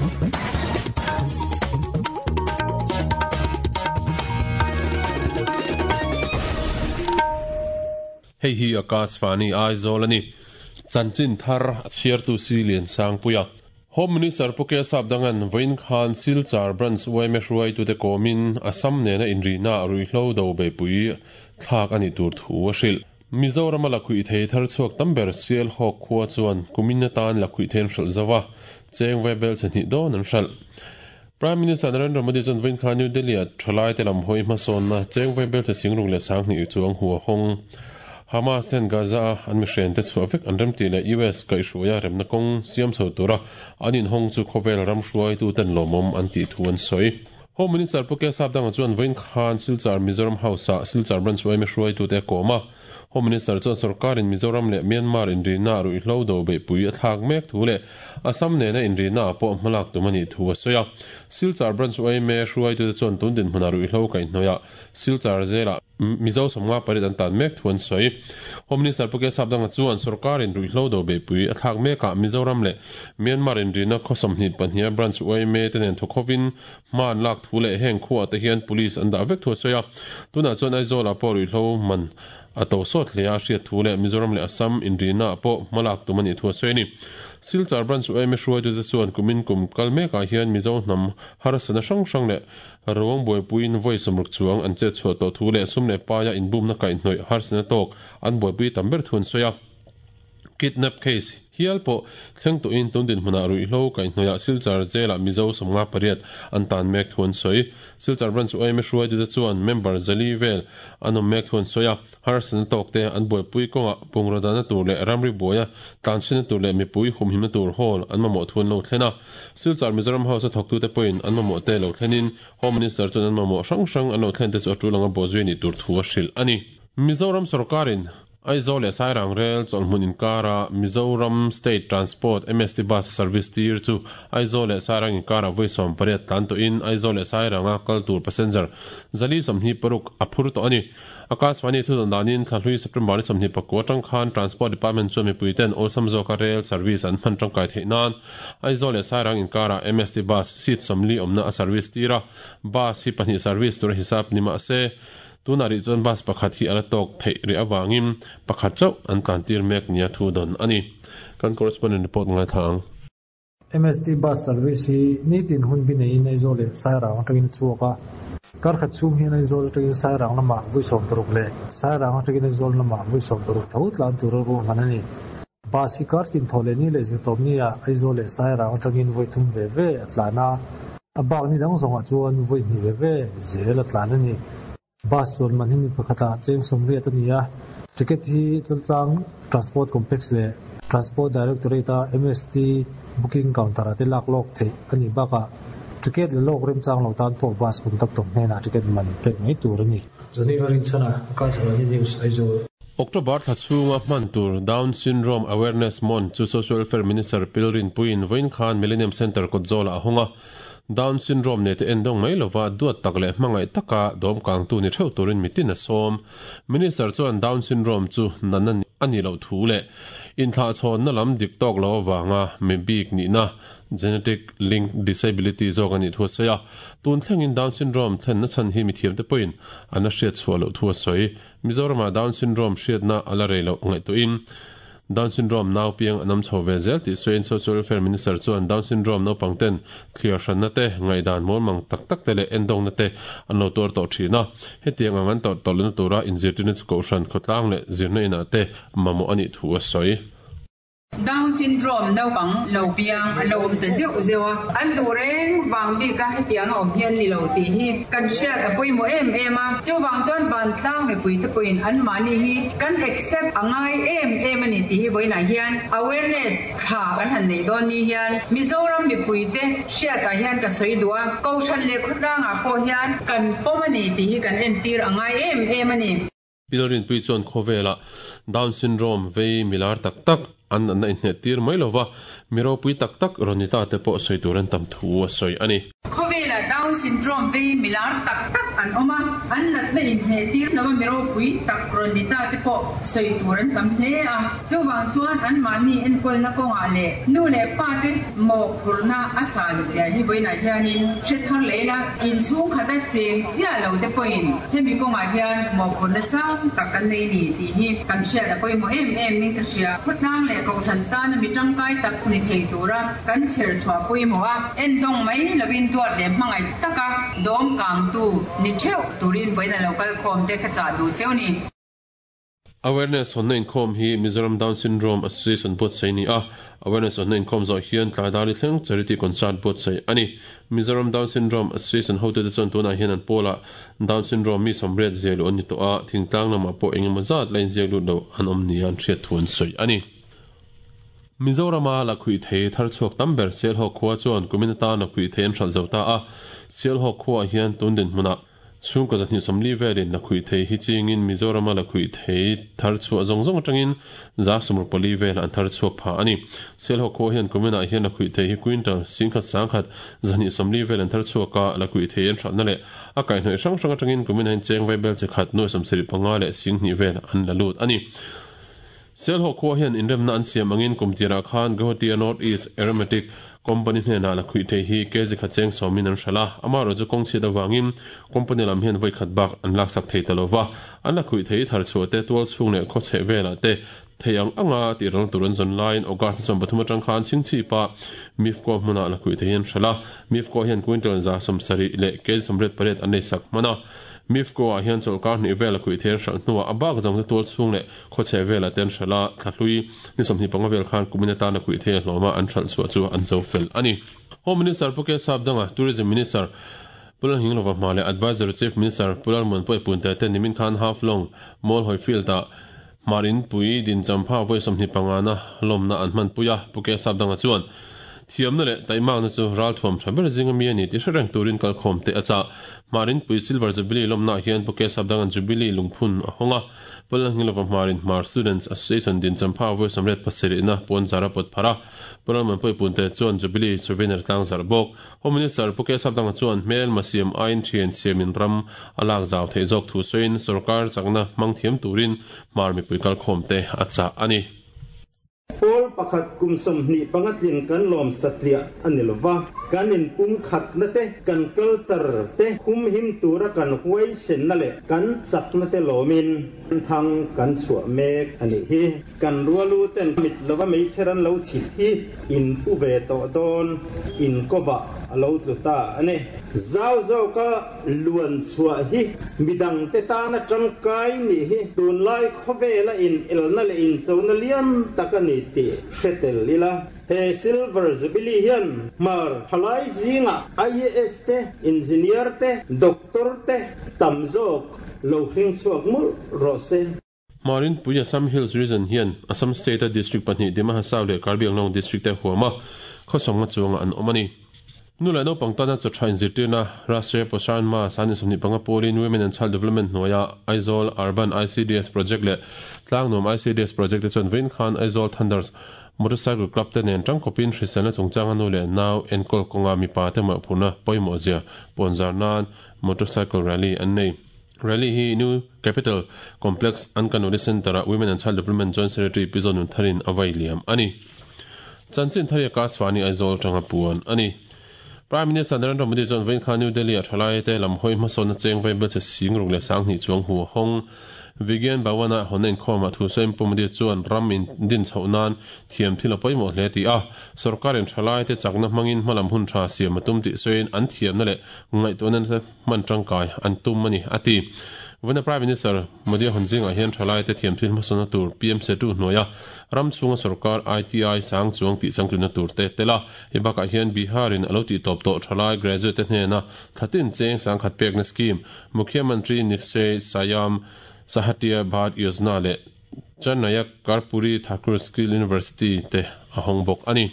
Hei hi Akashvani Aizawl a ni. Chanchin thar a chhiartu si Liansangpuia. Home Minister Pu K Sapdanga'n vawiin khan Silchar Branch yma hruaitute kawmin Assam nena inrihna ruihhlo do beihpui thlak a nih tur thu a hrilh. Mizorama lakhuih thei thar chhuak tam ber Sialhawk khua chuan kumin atan lakhuih thei an hralh zo a, cheng vaibel chhe hnih dawn an hralh. Prime Minister Narendra Modi chuan vawiin khan New Delhi-ah thalaite lam hawi hmasawnna cheng vaibel chhe singruk leh sanghnih chuang hu a hawng. Hamas ten Gaza-a an mihrente chhuah vek an remtih leh US kaihhruaia remna kawng siam chho tura an inhawng chu khawvel ram hruaituten lawmawm an tih thu an sawi. Home Minister Pu K Sapdanga chuan vawiin khan Silchar Mizoram House-ah Silchar Branch yma hruaitute a kawm a. Home Minister chuan sorkarin Mizoram leh Myanmar inrihna ruihhlo do beihpui a thlak mek thu leh Assam nena inrihnaah pawh hmalak tum a nih thu a sawi a. Silchar Branch yma hruaitute chuan tun dinhmunah ruihhlo kaihhnawihah Silchar zelah Mizo 58 an tan mek thu an sawi. Home Minister Pu K Sapdanga chuan sorkarin ruihhlo do beihpui a thlak mekah Mizoram leh Myanmar inrihna khaw 22 a Branch yma te nen thawkhovin Hma an lak thu leh heng khuaah te hian police an dah vek thu a sawi a. Tunah chuan Aizawlah pawh ruihhlo man a to sawt hle a, hriat thu leh Mizoram leh Assam inrihnaah pawh hma lak tum a nih thu a sawi a ni. Silchar Branch yma hruaitute chuan kumin kum kal mekah hian Mizo hnam harsatna hrang hrang leh ruang buaipuiin vawi 60 chuang an chet chhuah tawh thu leh sum leh paia inbumna kaihhnawih harsatna tawk an buaipui tam ber thu an sawi a. Kidnap case hial pawh thleng tawhin tun dinhmunah ruihhlo kaihhnawihah Silchar Jail-ah Mizo 58 an tan mek thu an sawi. Silchar Branch yma hruaitute chuan member zali vel an awm mek thu an sawi a, harsatna tawkte an buaipui kawngah bungraw dahna tur leh ramri buaia tlanchhinna tur leh mipui humhimna tur hall an mamawh thu an lo thlen a. Silchar Mizoram House-a thawktute pawhin an mamawhte lo thlenin Home Minister chuan an mamawh hrang hrang an lo thlente chu a tul anga bawhzui a nih tur thu a hrilh a ni. Mizoram sorkarin Aizawl leh Sairang Rel chawlhmun inkara Mizoram State Transport, MST Bus service tir chu Aizawl leh Sairang inkarah vawi 18 tlan tawhin Aizawl leh Sairanga kal tur passenger 426 a phur tawh a ni. Akashvani thudawn danin thlahlui September ni 29 atang khan Transport Department chuan mipuiten awlsam zawka rel service an hman tangkai theih nan Aizawl leh Sairang inkarah MST Bus seat 40 awmna a service tir a, bus hi pahnih service tura hisap ni mah se Tunah rih chuan bus pakhat hi a la tawk theih rih avangin pakhat chauh an tlantir mek nia thu dawn a ni. Kan correspondent report ngaithla ang. MST bus service hi nitin hun bi neiin Aizawl leh Sairang atangin a chhuak a. Kar khat chhung hian Aizawl atangin Sairang lamah vawi 60 leh Sairang atangin Aizawl lamah vawi 60 tho tlan tura ruahman a ni. Bus hi kar tin thaw leh ni leh zirtawp nia Aizawl leh Sairang atangin vawi thum ve ve a tlan a. A bak ni dang zawngah chuan vawi hnih ve ve zel a tlan a ni. Bus chuan man hi mi pakhatah cheng 80 a ni a. Ticket hi Chaltlang Transport Complex leh Transport Directorate-a MST booking counter-ah te lak lawk theih a nih bakah ticket la lawk remchang lo tan pawh bus conductor hnenah ticket man pek mai tur a ni. Geneva Rinchhana, Akashvani News, Aizawl. October thla chhunga hman tur Down Syndrome Awareness Month chu Social Welfare Minister Pil Rinpuiin vawiin khan Millennium Centre kawtzawlah a hawng a. Down Syndrome nei te endawng mai lova duat tak leh hmangaih taka dawmkangtu ni theuh turin mitin a sawm. Minister chuan Down Syndrome chu natna a nih loh thu leh inthlahchhawnna lam dik tawk lo avanga mi bik nihna genetic linked disability zawk a nih thu a sawi a. Tun thlengin Down Syndrome thlenna chhan hi mithiamte pawhin an la hriat chhuah loh thu a sawi. Mizoramah Down Syndrome hriatna a la rei loh ngaihtuahin Down Syndrome nau piang an awm chho ve zel tih sawiin Social Welfare Minister chuan Down Syndrome naupang ten thliar hranna te, ngaihdan mawlmang tak tak te leh endawngna te an lo tuar tawh thin a. Hetiang ang an tawrh tawh lohna tura inzirtirna chu kohhran, khawtlang leh zirna inah te mamawh a nih thu a sawi. Down syndrome naupang lo piang an lo awm ta zeuh zeuh a, an duh reng vang bika hetiang a awm hian ni lo tih hi kan hriat a pawimawh em em a. Chuvang chuan vantlang mipuite pawhin anmahni hi kan accept a ngai em em a ni tih hi vawiinah hian awareness thla kan han neih dawn ni hian Mizoram mipuite hriatah hian ka sawi duh a, Kohhran leh khawtlangah pawh hian kan pawm a ni tih hi kan entir a ngai em em a ni. Pilrinpui chuan khawvelah Down syndrome vei milar tak tak an natna inhnet tir mai lova, mi ropui tak tak rawn ni ta te pawh sawi tur an tam thu a sawi a ni. Khawvelah Down syndrome vei milar tak tak an awm a, an natna inhneh tir lova mi ropui tak rawn ni ta te pawh sawi tur an tam hle a. Chuvang chuan anmahni enkawlna kawngah leh nu leh pa te mawhphurhna a san zia hi vawiinah hianin hre thar leh ila, inchhung khata cheng chiah lo te pawhin hemi kawngah hian mawhphurhna sang tak kan nei ni tih hi kan hriat a pawimawh em em in ka hria. Khawtlang leh kohhran tana mi tangkai tak ni thei tura kan chher chhuah pawimawh a, endawng mai lovin duat leh hmangaih taka dawm kangtu ni theuh turin vawiin a lo kal khawm te ka chah duh cheu ni. Awareness hawnna inkhawm hi Mizoram Down Syndrome Association buatsaih a ni a, Awareness hawnna inkhawm zawh hian tlai dar i thleng Charity Concert buatsaih a ni. Mizoram Down Syndrome Association hotute chuan tunah hian an pawlah Down Syndrome mi 80 ziah luh an ni tawh a, thingtlang lamah pawh engemaw zat la inziak lut lo an awm nia an hriat thu an sawi a ni. Mizorama lakhuih thei thar chhuak tam ber Sialhawk khua chuan kumin atan lakhuih thei an hralh zo ta a, Sialhawk khuaah hian tun dinhmunah Chhungkaw 240 velin lakhuih thei hi chingin Mizorama lakhuih thei thar chhuah zawng zawng atangin 64 vel an thar chhuak pha a ni. Sialhawk khua hian kuminah hian lakhuih thei hi quintal 10,000 10,000 240 vel an thar chhuak a, lakhuih thei an hralhna leh a kaihhnawih hrang hrang atangin kuminah hian cheng vaibel chi khat nuai 75 leh 20 vel an la lut a ni. Sialhawk khua hian inremna an siam angin kum tirah khan Guwahati-a North East Aromatic Company hnenah lakhuih thei hi kg khat cheng sawmin an hralh a, amaherawh chu kawng chhiat avangin company lam hian vawi khat bak an laksak thei ta lova, an lakhuih thei thar chhuah te tual chhung leh khaw chheh velah te thei ang anga tih ral tur an zawn laiin August ni 13 atang khan Chhingchhipa Mifco hmunah lakhuih thei hi an hralh a, Mifco hian quintal 70 leh kg 88 an leisak hman a, Mifco ah hian chawlhkar hnih vel lakhuih thei an hralh hnuah a bak zawng chu tual chhung leh Khaw chheh velah te an hralh a, thla hlui ni 25 vel khan kumin atana kuih thei a hlawm a, an hralh chhuah chu an zo fel a ni. Home Minister Pu K Sapdanga, Tourism Minister Pu Lalnghinglova hma leh Advisory Chief Minister Pu Lalmuanpui Punte te nimin khan Half Long Mall Hawi Field-ah Hmar Inpui din champha vawi 25 na lawmna an hmanpui a, Pu K Sapdanga chuan thiamna leh taihmakna chu ralthuam tha ber zinga mi a ni tih hre reng turin kalkhawm te a chah. Hmar Inpui Silver Jubilee lawmnaah hian Pu K Sapdanga'n Jubilee lungphun a hawng a, Pawlangilova Hmarin Hmar Students Association din champha vawi 87 na pawn zar a pawt phar a, Pu Lalmanpuii Punte chuan Jubilee Souvenir tlang zarh bawk. Home Minister Pu Kesavdanga chuan hmelma siam aiin thian siamin ram a lak zau theih zawk thu sawiin sorkar chakna hmang thiam turin Hmar mipui kalkhawmte a chah a ni. Pawl pakhat kum 25 tlin kan lawm satliah a ni lova, kan inpumkhatna te, kan culture te humhim tura kan huaisenna leh kan chakna te lawmin thang kan chhuah mek a nih hi. Kan rualu ten mit lova meichher an lo chhit hi in pu ve tawh dawn, in kawvah a lo tlu ta a ni. Zau zawka luan chhuah hi midangte tana tangkai nih hi tunlai khawvela in elna leh inchona lian tak a ni tih hre tel ila. He Silver Jubilee hian Hmar thalai zingah IAS te, Engineer te, Doctor te tam zawk lo hring chhuak mawlh rawh se. Hmarinpui Assam Hills Region hian Assam State-a District pahnih Dima Hasao leh Karbi Anglong District te huam a, khawsawmnga chuangah an awm a ni. Nu leh naupang tana chaw tha inzirtirna Rashtriya Poshan Maah 25 pawlin Women and Child Development hnuaia Aizawl Urban ICDS Project leh Tlangnuam ICDS Project te chuan vawiin khan Aizawl Thunders Motorcycle Club te nen tangkawpin hriselna chungchanga nu leh nau enkawl kawnga mipa te mawhphurhna pawimawhzia pawnzar nan Motorcycle Rally an nei. Rally hi New Capital Complex Ankanwadi Centre-ah Women and Child Development Joint Secretary Pi Zonun Tharin a vai liam a ni. Chanchin Thari Akashvani Aizawl tanga puan a ni. Prime Minister Narendra Modi chuan vawiin khan New Delhi-ah thalai te lam hawi hmasawnna cheng vai bel che sing ruk leh 2000 chuang hu a hawng. Vigyan Bhawan-a hawnna inkhawmah thu sawiin Pu Modi chuan ram in din chhoh nan thiam thil a pawimawh hle ti a, sorkarin thalai te chakna hmangin hmalam hun tha siam a tum tih sawiin an thiamna leh ngaihtuahna te hman tangkai an tum a ni, a ti. Vawiina Prime Minister Modi a hawn zingah hian thalaite thiam thil hmasawnna tur PM Setu hnuaia ram chhunga sorkar ITI sang chuang tih changtlunna tur te tel a. Hei bakah hian Bihar-in a lo tih tawp tawh thalai graduate te hnena thlatin cheng 10,000 pekna scheme Mukhyamantri Nikshay Sayam Sahatya Bharat Yojana leh Chennai-a Karpuri Thakur Skill University te a hawng bawk a ni.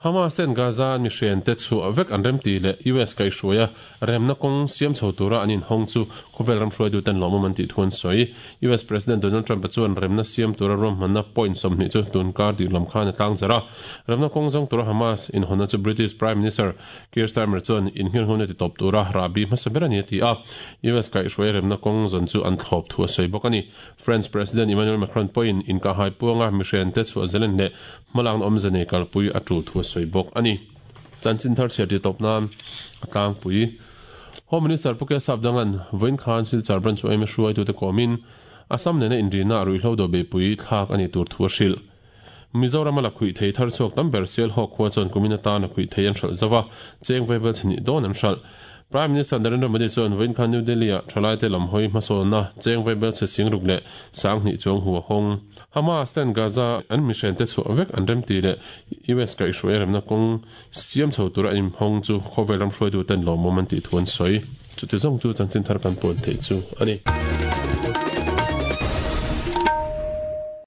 Hamas ten Gaza an mi hren te chhuah vek an remti leh US kaihhruaia remna kawng siam chho tura an inhawng chu khawvel ram hruaituten lawmawm an tih thu an sawi. US President Donald Trump-a chuan remna siam tura ruahmanna point 20 chu tunkar dih lam khan a tlangzarh a. Remna kawng zawng tura Hamas inhawnna chu British Prime Minister Keir Starmer chuan innghirnghawna ti tawp tura rahbi hmasa ber a ni a ti a. US kaihhruaia remna kawng zawn chu an thlawp thu a sawi bawk a ni. French President Emmanuel Macron pawhin inkahhai puanga mihrente chhuah zelen leh hmalakna awmze nei kalpui a tul thu a sawi bawk a ni. Chanchin thar chhiar ti tawp nan a tlangpui. Home Minister Pu Kesap Dangan vawiin khan Silchar Branch yma hruaitute kawmin Assam nena inrina a ruihhlo do beihpui thlak a nih tur thu a hrilh. Mizorama la khuih thei thar chhuak tam ber Sialhawk khua chuan kumin atana khuih thei an hralh zo va, cheng vaibel chhnih dawn an hralh. Prime Minister Narendra Modi chuan vawiin khan New Delhi-ah thalaite lam hawi hmasawnna cheng vaibel chhe singruk leh sanghnih chuang hu a hawng. Hamas ten Gaza an mihrente chhuah vek an remti leh US kaihhruai remna kawng siam chho tura an inhawng chu khawvel ram hruaituten lawmawm an tih thu an sawi. Chuti zawng chu chanchin thar kan puan theih chu a ni.